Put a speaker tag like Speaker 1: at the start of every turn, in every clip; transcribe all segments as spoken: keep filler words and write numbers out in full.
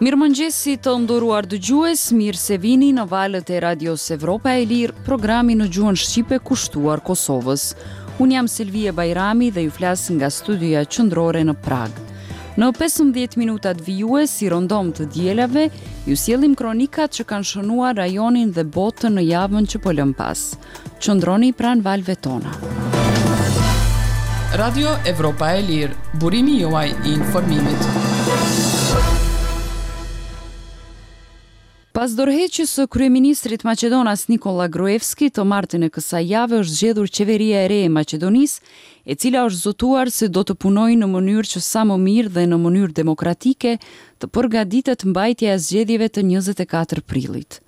Speaker 1: Mirëmëngjesi të nderuar dëgjues, mirë se vini në valët e Radios Evropa e Lirë, programi në gjuhën shqipe kushtuar Kosovës. Unë jam Selvije Bajrami dhe ju flas nga studioja qendrore në Pragë. Në pesëmbëdhjetë minutat vijues, si rëndom të dielave, ju sjellim kronikat që kanë shënuar rajonin dhe botën në javën që po lëm pas. Qëndroni pranë valëve tona.
Speaker 2: Radio Evropa e Lirë, burimi juaj i informimit.
Speaker 1: Pas dorëheqjes së kryeministrit maqedonas Nikola Gruevski, të martën e kësaj jave është zgjedhur qeveria e re e Maqedonisë, e cila është zotuar se do të punojë në mënyrë që sa më mirë dhe në mënyrë demokratike të përgatitet mbajtja e zgjedhjeve të njëzet e katër prillit.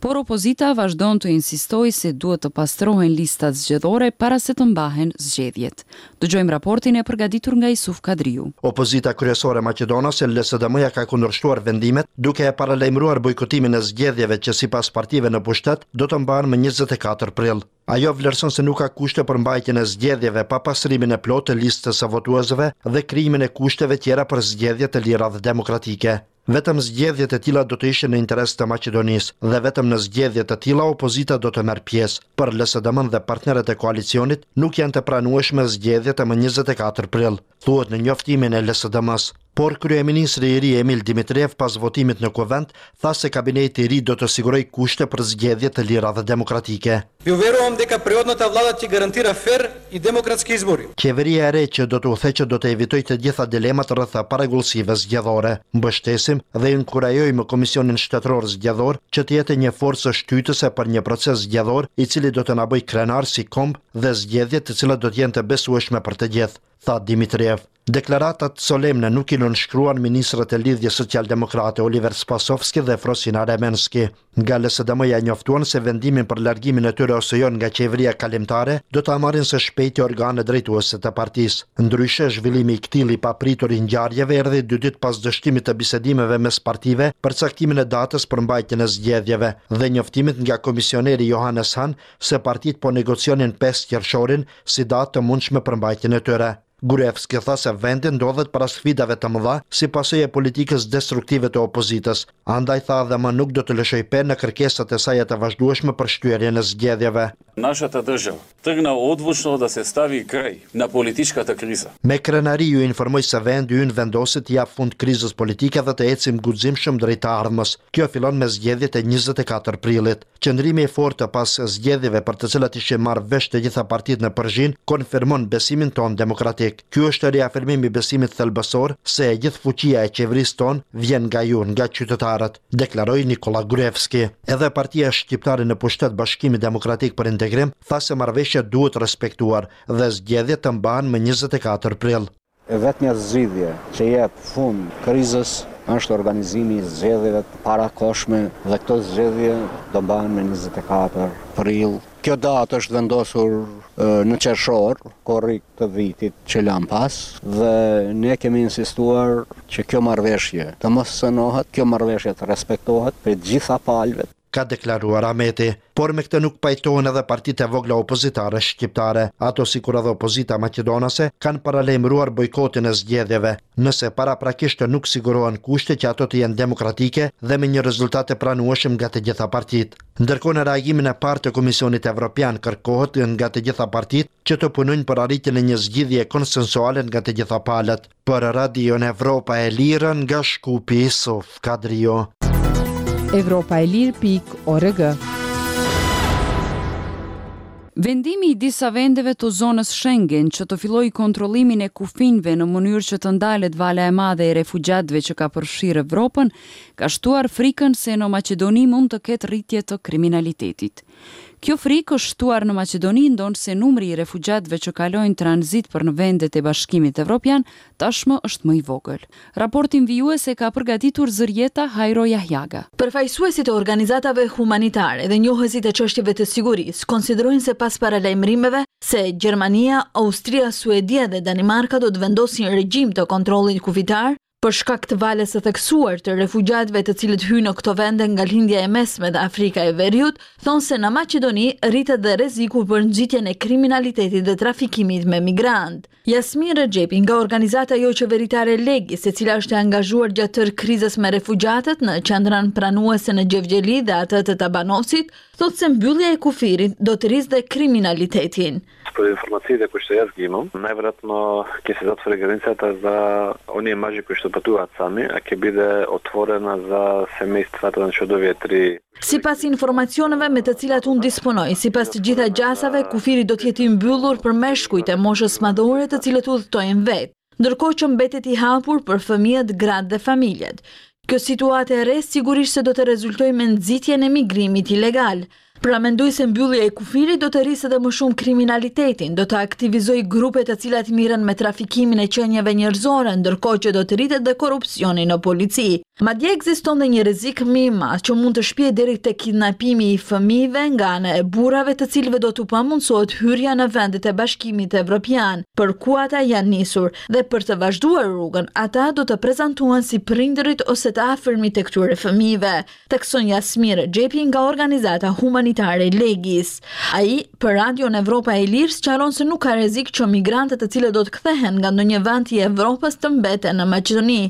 Speaker 1: Por opozita vazhdon të insistojë se duhet të pastrohen listat zgjedhore para se të mbahen zgjedhjet. Dëgjojmë raportin e përgatitur nga Isuf Kadriu.
Speaker 3: Opozita kryesore maqedonase L S D M-ja ka kundërshtuar vendimet duke e paralajmëruar bojkotimin e zgjedhjeve që sipas partive në pushtet do të mbahen më njëzet e katër prill. Ajo vlerëson se nuk ka kushte për mbajtjen e zgjedhjeve pa pastrimin e plotë të listës së votuesve dhe krijimin e kushteve tjera për zgjedhje të lira dhe demokratike. Vetëm zgjedhjet e tilla do të ishin në interes të Maqedonisë dhe vetëm në zgjedhje të tilla opozita do të merr pjesë. Për L S D M-n dhe partnerët e koalicionit nuk janë të pranueshme zgjedhjet e më njëzet e katër prill, thuhet në njoftimin e L S D M-s. Por kryeministri i ri Emil Dimitriev pas votimit në kuvend tha se kabineti i ri do të sigurojë kushte për zgjedhje të lira dhe demokratike.
Speaker 4: Ju veruam deka priodnata vlada që garantira fer i demokratski izbori.
Speaker 3: Qeveria e re që do të udhëheqë do të evitojë të gjitha dilemat rreth parregullsive zgjedhore. Mbështesim dhe inkurajojmë Komisionin Shtetëror Zgjedhor që të jetë një forcë shtytëse për një proces zgjedhor i cili do të na bëjë krenar si komb dhe zgjedhje të cilat do të jenë të besueshme për të gjithë, tha Dimitriev. Deklaratat solemne nuk i nënshkruan ministrat e Lidhjes Socialdemokrate Oliver Spasovski dhe Frosina Remenski. Nga L S D M-ja njoftuan se vendimin për largimin e tyre ose jo nga qeveria kalimtare do ta marrin së shpejti organet drejtuese të partisë. Ndryshe, zhvillimi i këtij i papritur i ngjarjeve erdhi dy ditë pas dështimit të bisedimeve mes partive për caktimin e datës për mbajtjen e zgjedhjeve dhe njoftimit nga komisioneri Johannes Hahn se partitë po negocionin pesë qershorin si datë të mundshme për mbajtjen e tyre. Gruevski tha se vendi ndodhet para sfidave të mëdha si pasojë e politikës destruktive të opozitës, andaj tha dhe më nuk do të lëshoj pe në kërkesat e saja të vazhdueshme për shtyrjen e zgjedhjeve.
Speaker 5: Нашата држава тргна одлучно да се стави крај на политичката криза.
Speaker 3: Me krenari ju informoj se vendi ynë vendosi të jap fund krizës politike dhe të ecim guximshëm drejt të ardhmes. Kjo fillon me zgjedhjet e njëzet e katër prillit. Qëndrimi i fortë pas zgjedhjeve për të cilat ishin marrë vesh të gjitha partitë në Përzhinë konfirmon besimin ton demokratik. Ky është riafirmimi i besimit thelbësor se e gjithë fuqia e qeverisë tonë vjen nga ju, nga qytetarët, deklaroi Nikola Gruevski. Edhe partia shqiptare në pushtet Bashkimi Demokratik për Integrim tha se marrëveshja duhet respektuar dhe zgjedhjet të mbahen më njëzet e katër prill.
Speaker 6: E vetmja zgjidhje që jep fund krizës është organizimi i zgjedhjeve të parakohshme dhe këto zgjedhje do mbahen më njëzet e katër prill. Kjo datë është vendosur, e, në qershor, korrik të vitit që lam pas, dhe ne kemi insistuar që kjo marrëveshje të mos cenohet, kjo marrëveshje të respektohet për të gjitha palëve,
Speaker 3: ka deklaruar Ahmeti. Por me këtë nuk pajtohen edhe partitë e vogla opozitare shqiptare. Ato sikur edhe opozita maqedonase kanë paralajmëruar bojkotin e zgjedhjeve, nëse paraprakisht nuk sigurohen kushte që ato të jenë demokratike dhe me një rezultat të pranueshëm nga të gjitha partitë. Ndërkohë në reagimin e parë të Komisionit Evropian kërkohet nga të gjitha partitë që të punojnë për arritjen e një zgjidhje konsensuale nga të gjitha palët. Për Radion Evropa e Lirë nga Shkupi, Isuf Kadriu.
Speaker 7: Evropa e Lirë pikë org.
Speaker 1: Vendimi i disa vendeve të zonës Schengen që të fillojë kontrollimin e kufinjve në mënyrë që të ndalet vala e madhe e refugjatëve që ka përfshirë Evropën, ka shtuar frikën se në Maqedoni mund të ketë rritje të kriminalitetit. Kjo frikë është shtuar në Maqedoni ndonëse numri i refugjatëve që kalojnë tranzit për në vendet e Bashkimit Evropian tashmë është më i vogël. Raportin vijues e ka përgatitur Zërjeta Hajro Jahjaga.
Speaker 8: Përfaqësuesit e organizatave humanitare dhe njohësit e çështjeve të sigurisë konsiderojnë se pas paralajmërimeve se Gjermania, Austria, Suedia dhe Danimarka do të vendosin regjim të kontrollit kufitar, Për shkak të valës së theksuar të refugjatëve të cilët hyjnë në këto vende nga Lindja e Mesme dhe Afrika e Veriut, thonë se në Maqedoni rritet dhe rreziku për nxitjen e kriminalitetit dhe trafikimit me migrantë. Jasmin Rexhepi nga organizata joqeveritare Legis, e cila është e angazhuar gjatë tërë krizës me refugjatët në qendrën pranuese në Gjevgjeli dhe atë të Tabanovcit, thotë se mbyllja e kufirit do të rrisë dhe kriminalitetin.
Speaker 9: Според информациите кои што јас ги имам, најверојатно ќе се затвори границата за оние мажи кои што патуваат сами, а ќе биде отворена за семејствата, значи од овие три.
Speaker 8: Sipas informacioneve me të cilat unë disponoj, sipas të gjitha gjasave, kufiri do të jetë i mbyllur për meshkujt e moshës madhore të cilët udhëtojnë vetë, ndërkohë që mbetet i hapur për fëmijët, gratë dhe familjet. Kjo situatë e re sigurisht se do të rezultojë me nxitjen e migrimit ilegal. Pra mendoj se mbyllja e kufirit do të rrisë edhe më shumë kriminalitetin, do të aktivizojë grupet të cilat mirren me trafikimin e qenieve njerëzore, ndërkohë që do të rritet dhe korrupsioni në polici. Madje ekziston dhe një rrezik më i madh që mund të shpie deri te kidnapimi i fëmijëve nga ana e burrave të cilëve do t'u pamundësohet hyrja në vendet e Bashkimit Evropian, për ku ata janë nisur, dhe për të vazhduar rrugën, ata do të prezantohen si prindërit ose të afërmit e këtyre fëmijëve, thekson Jasmin Rexhepi nga organizata humanitare Legis. Ai për Radion Evropa e Lirë sqaron se nuk ka rrezik që migrantët të cilët do të kthehen nga ndonjë vend i Evropës të mbeten në Maqedoni,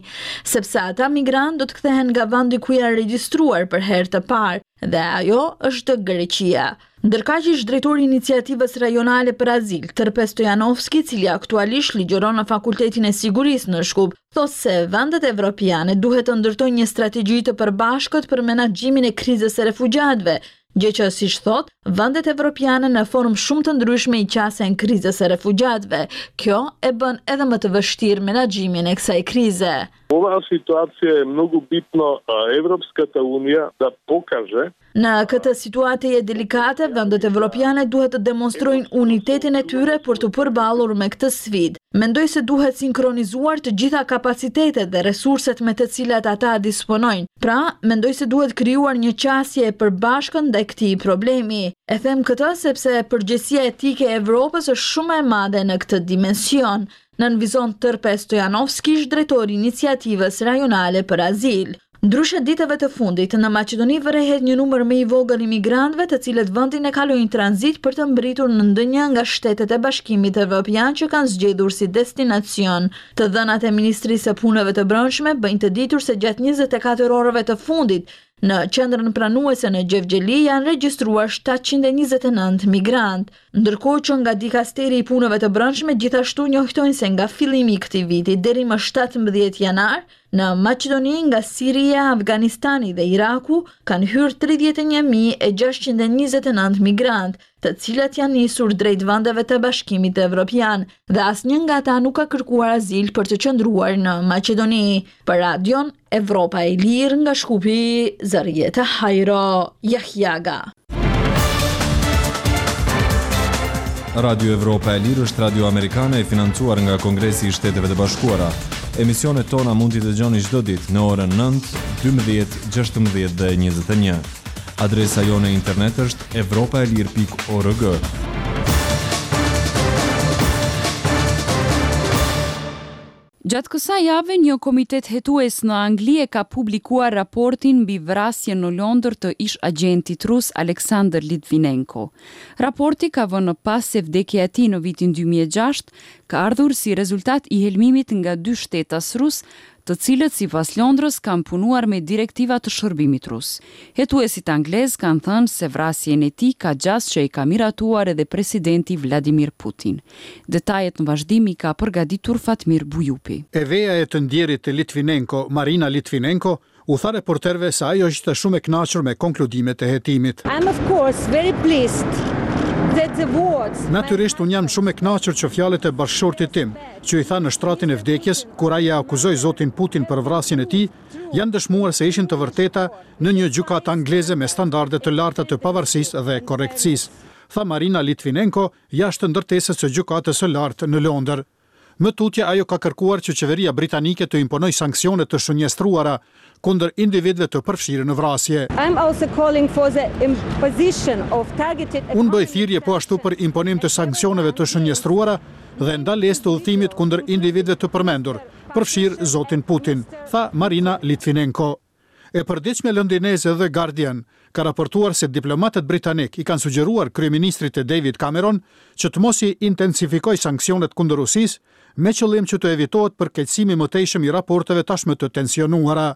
Speaker 8: sepse ata migrantë do të kthehen nga vendi ku janë regjistruar për herë të parë, dhe ajo është Greqia. Ndërkaq ish drejtori i iniciativës rajonale për azil, Tërpe Stojanovski, cili aktualisht ligjëron në Fakultetin e Sigurisë në Shkup, thotë se vendet evropiane duhet të ndërtojnë një strategji të përbashkët për menaxhimin e krizës së refugjatëve, gjë që, siç thot, vendet evropiane në formë shumë të ndryshme i qasen krizës së refugjatëve. Kjo e bën edhe më të vështirë menaxhimin e kësaj krize.
Speaker 10: Оваа ситуација е многу битно Европската унија да покаже.
Speaker 8: Në këtë situatë je delikate, vendet evropiane duhet të demonstrojnë unitetin e tyre për të përballur me këtë sfidë. Mendoj se duhet sinkronizuar të gjitha kapacitetet dhe resurset me të cilat ata disponojnë. Pra, mendoj se duhet krijuar një qasje e përbashkët ndaj këtij problemi. E them këtë sepse përgjegjësia etike e Evropës është shumë e madhe në këtë dimension. Nënvizon Tërpe Stojanovski, drejtori i iniciativës rajonale për azil. Ndryshe ditëve të fundit, në Maqedoni vërehet një numër më i vogël i migrantëve të cilët vendin e kalojnë tranzit për të mbritur në ndonjë nga shtetet e Bashkimit Evropian që kanë zgjedhur si destinacion. Të dhënat e Ministrisë së Punëve të Brendshme bëjnë të ditur se gjatë njëzet e katër orëve të fundit në qendrën pranuese në Gjevgjeli janë regjistruar shtatëqind e njëzet e nëntë migrantë, ndërkohë që nga dikasteri i punëve të brendshme gjithashtu njoftojnë se nga fillimi i këtij viti deri më shtatëmbëdhjetë janar në Maqedoni nga Siria, Afganistani dhe Iraku kanë hyrë tridhjetë e një mijë e gjashtëqind e njëzet e nëntë migrantë, të cilat janë nisur drejt vendeve të Bashkimit Evropian dhe asnjë nga ata nuk ka kërkuar azil për të qëndruar në Maqedoni. Për Radion Evropa e Lirë nga Shkupi, Zërjeta Hajro Jahjaga.
Speaker 11: Radio Evropa e Lirë është radio amerikane e financuar nga Kongresi i Shteteve të Bashkuara. Emisionet tona mund t'i dëgjoni çdo ditë në orën nëntë, dymbëdhjetë, gjashtëmbëdhjetë dhe njëzet e një. Adresa jonë e internet është evropa e lirë pikë org.
Speaker 1: Gjatë kësaj jave, një komitet hetues në Angli e ka publikuar raportin mbi vrasjen në Londër të ish agjentit rus Aleksandr Litvinenko. Raporti ka vënë në pas se vdekja e tij në vitin dy mijë e gjashtë ka ardhur si rezultat i helmimit nga dy shtetas rus, të cilët sipas Londrës kanë punuar me direktiva të shërbimit rus. Hetuesit anglez kanë thënë se vrasjen e tij ka gjasë që i ka miratuar edhe presidenti Vladimir Putin. Detajet në vazhdim i ka përgatitur Fatmir Bujupi.
Speaker 12: E veja e të ndjerit të Litvinenko, Marina Litvinenko, u tha reporterëve se ajo ishte shumë e kënaqur me konkludimet e hetimit.
Speaker 13: I'm of course very pleased that the words
Speaker 12: Natyrisht unë jam shumë e kënaqur që fjalët e bashkëshortit tim, që i tha në shtratin e vdekjes, kur ai e akuzoi zotin Putin për vrasjen e tij, janë dëshmuar se ishin të vërteta në një gjykatë angleze me standarde të larta të pavarësisë dhe korrektësisë, tha Marina Litvinenko jashtë ndërtesës së gjykatës së lartë në Londër. Më tutje ajo ka kërkuar që qeveria britanike të imponojë sanksione të shënjestruara kundër individëve të përfshirë në vrasje.
Speaker 13: I'm also calling for the imposition of targeted
Speaker 12: Unë bëj thirrje po ashtu për imponim të sanksioneve të shënjestruara dhe ndalesë të udhëtimit kundër individëve të përmendur, përfshirë zotin Putin, tha Marina Litvinenko. E përditshmja londineze The Guardian ka raportuar se diplomatët britanikë i kanë sugjeruar kryeministrit të David Cameron që të mos i intensifikojë sanksionet kundër Rusisë, me qëllim që të evitohet përkeqësimi i mëtejshëm i raporteve tashmë të tensionuara.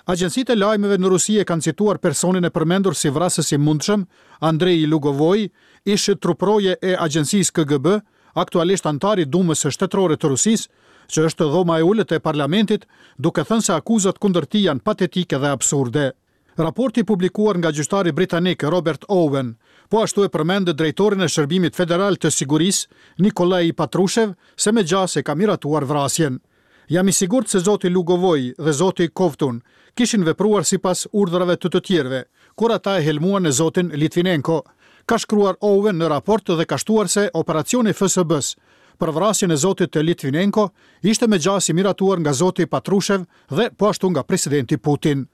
Speaker 12: Agjencitë e lajmeve në Rusi e kanë cituar personin e përmendur si vrasës i mundshëm, Andrei Lugovoi, ish truproje e agjencisë K G B, aktualisht anëtar i Dumës së Shtetërore të Rusisë, që është dhoma e ulët e parlamentit, duke thënë se akuzat kundër tij janë patetike dhe absurde. Raporti i publikuar nga gjyqtari britanik Robert Owen, po ashtu e përmend drejtorin e Shërbimit Federal të Sigurisë, Nikolai Patrushev, se me gjasë e ka miratuar vrasjen. "Jam i sigurt se zoti Lugovoi dhe zoti Kovtun kishin vepruar sipas urdhrave të të tjerëve, kur ata e helmuan në zotin Litvinenko", ka shkruar Owen në raport dhe ka shtuar se operacioni F S B-s për vrasjen e zotit të Litvinenko ishte me gjasë i miratuar nga zoti Patrushev dhe po ashtu nga presidenti Putin.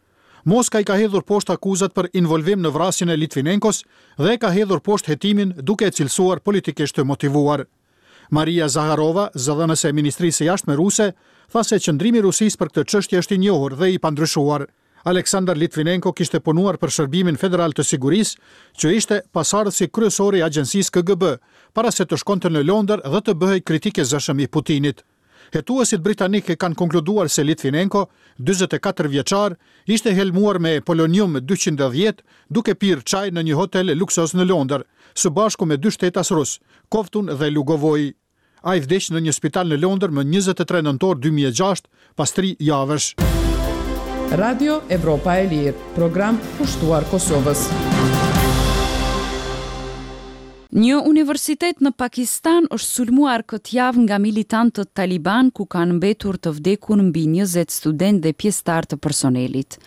Speaker 12: Moska i ka hedhur poshtë akuzat për involvim në vrasjen e Litvinenkos dhe e ka hedhur poshtë hetimin, duke e cilësuar politikisht të motivuar. Maria Zaharova, zëdhënëse e Ministrisë së Jashtme ruse, tha se qëndrimi i Rusisë për këtë çështje është i njohur dhe i pandryshuar. Aleksandar Litvinenko kishte punuar për Shërbimin Federal të Sigurisë, që ishte pasardhësi kryesor i agjencisë K G B, para se të shkonte në Londër dhe të bëhej kritik i zëshëm i Putinit. Hetuesit britanikë kanë konkluduar se Litvinenko, dyzet e katër vjeçar, ishte helmuar me polonium dyqind e dhjetë duke pirë çaj në një hotel luksoz në Londër, së bashku me dy shtetas rus, Kovtun dhe Lugovoi. Ai vdiq në një spital në Londër më njëzet e tre nëntor dy mijë e gjashtë, pas tri javësh.
Speaker 2: Radio Evropa e Lirë, program kushtuar Kosovës.
Speaker 1: Një universitet në Pakistan është sulmuar këtë javë nga militantët taliban, ku kanë mbetur të vdekur mbi njëzet student dhe pjesëtar të personelit.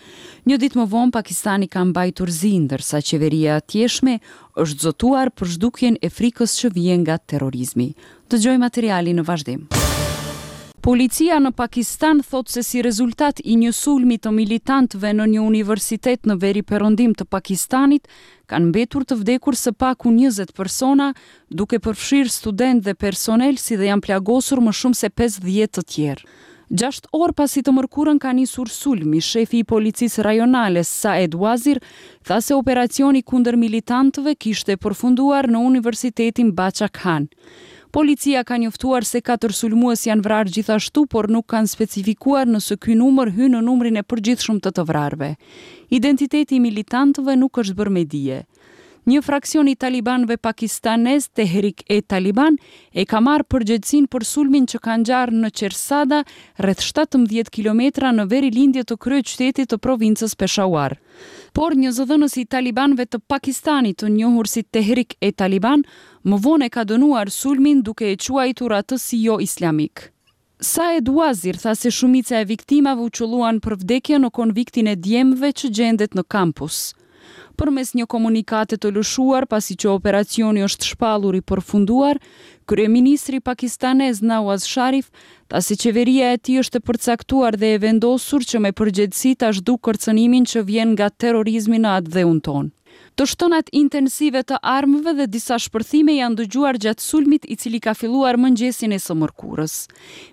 Speaker 1: Një ditë më vonë Pakistani ka mbajtur zi, ndërsa qeveria e atjeshme është zotuar për zhdukjen e frikës që vjen nga terrorizmi. Dëgjoj materialin në vazhdim. Policia në Pakistan thot se si rezultat i një sulmi të militantëve në një universitet në veri perëndim të Pakistanit, kanë mbetur të vdekur së paku njëzet persona, duke përfshirë student dhe personel, si dhe janë plagosur më shumë se pesëdhjetë të tjerë. Gjashtë orë pasi të mërkurën ka nisur sulmi, shefi i policisë rajonale Saed Wazir tha se operacioni kundër militantëve kishte përfunduar në Universitetin Bacha Khan. Policia ka njoftuar se katër sulmues janë vrarë gjithashtu, por nuk kanë specifikuar nëse ky numër hyn në numrin e përgjithshëm të të vrarëve. Identiteti i militantëve nuk është bërë me dije. Një fraksion i talibanëve pakistanez, Tehrik e Taliban, e ka marrë përgjegjësinë për sulmin që ka ngjarë në Çersada, rreth shtatëmbëdhjetë kilometra në veri-lindje të kryeqytetit të provincës Peshawar. Por një zëdhënës i talibanëve të Pakistanit, të njohur si Tehrik e Taliban, më vonë e ka dënuar sulmin, duke e quajtur atë si jo islamik. Saed Wazir tha se shumica e viktimave u qëlluan për vdekje në konviktin e djemve që gjendet në kampus. Përmes një komunikate të lëshuar, pasi që operacioni është shpallur i përfunduar, kryeministri pakistanez Nawaz Sharif tha se qeveria e tij është e përcaktuar dhe e vendosur që me përgjegjësi ta zhduk kërcënimin që vjen nga terrorizmi në atdheun tonë. Të shtënat intensive të armëve dhe disa shpërthime janë dëgjuar gjatë sulmit, i cili ka filluar mëngjesin e së mërkurës.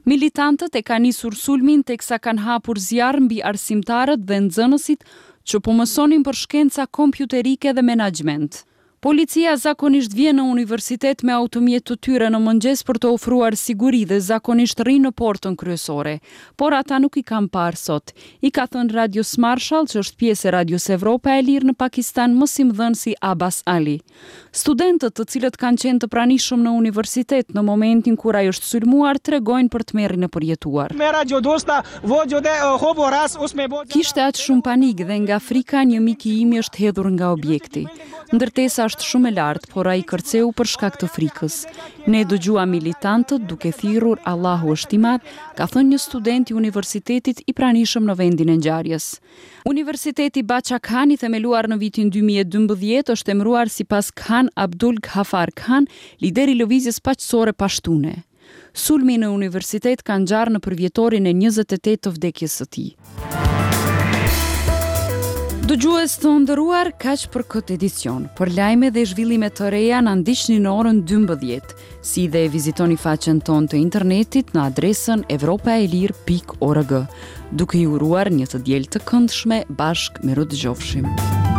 Speaker 1: Militantët e kanë nisur sulmin teksa kanë hapur zjarr mbi arsimtarët dhe nxënësit që po mësonin për shkenca kompjuterike dhe menaxhment. Policia zakonisht vjen në universitet me automjet të tyre në mëngjes për të ofruar siguri dhe zakonisht rrinë në portën kryesore, por ata nuk i kanë parë sot. I ka thënë Radios Marshall, që është pjesë e Radios Evropa e Lirë në Pakistan, mësimdhënësi Abbas Ali. Studentët, të cilët kanë qenë të pranishëm në universitet në momentin kur ai është sulmuar, tregojnë për tmerrin e përjetuar. "Kishte aq shumë panik dhe nga frika një mik i imi është hedhur nga objekti. Ndërtesa është shumë e lartë, por ai kërceu për shkak të frikës. Ne dëgjuam militantët duke thirrur 'Allahu është i madh'", ka thënë një student i universitetit i pranishëm në vendin e ngjarjes. Universiteti Bacha Khan, i themeluar në vitin dy mijë e dymbëdhjetë, është emëruar sipas Khan Abdul Ghaffar Khan, lideri i lëvizjes paqësore pashtune. Sulmi në universitet ka ngjarë në përvjetorin e njëzet e tetë të vdekjes së tij. Dëgjues të nderuar, kaq për këtë edicion. Për lajme dhe zhvillime të reja na ndiqni në orën dymbëdhjetë, si dhe vizitoni faqen tonë të internetit në adresën evropaelire pikë org, duke ju uruar një të diel të këndshme bashkë mirudëgjofshim.